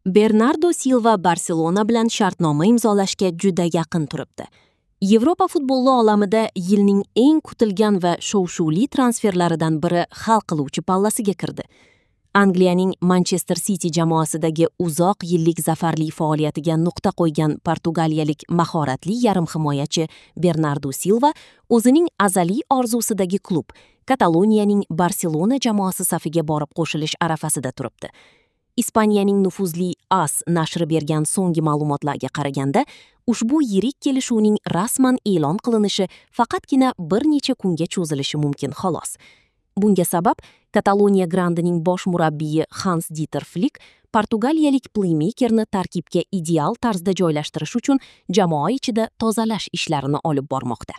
Bernardo Silva Barselona bilan shartnoma imzolashga juda yaqin turibdi. Yevropa futboli olamida yilning eng kutilgan va shov-shuvli transferlaridan biri hal qiluvchi pallasiga kirdi. Angliyaning Manchester City jamoasidagi uzoq yillik zafarli faoliyatiga nuqta qo'ygan portugaliyalik mahoratli yarim himoyachi Bernardo Silva o'zining azaliy orzusidagi klub Kataloniyaning Barselona jamoasi safiga borib qo'shilish arafasida turibdi. Ispaniyaning nufuzli AS nashri bergan so'nggi ma'lumotlarga qaraganda, ushbu yirik kelishuvning rasman e'lon qilinishi faqatgina bir necha kunga cho'zilishi mumkin xolos. Bunga sabab Kataloniya grandining bosh murabbiyi Hans Dieter Flick portugaliyalik pleymekerni tarkibga ideal tarzda joylashtirish uchun jamoa ichida tozalash ishlarini olib bormoqda.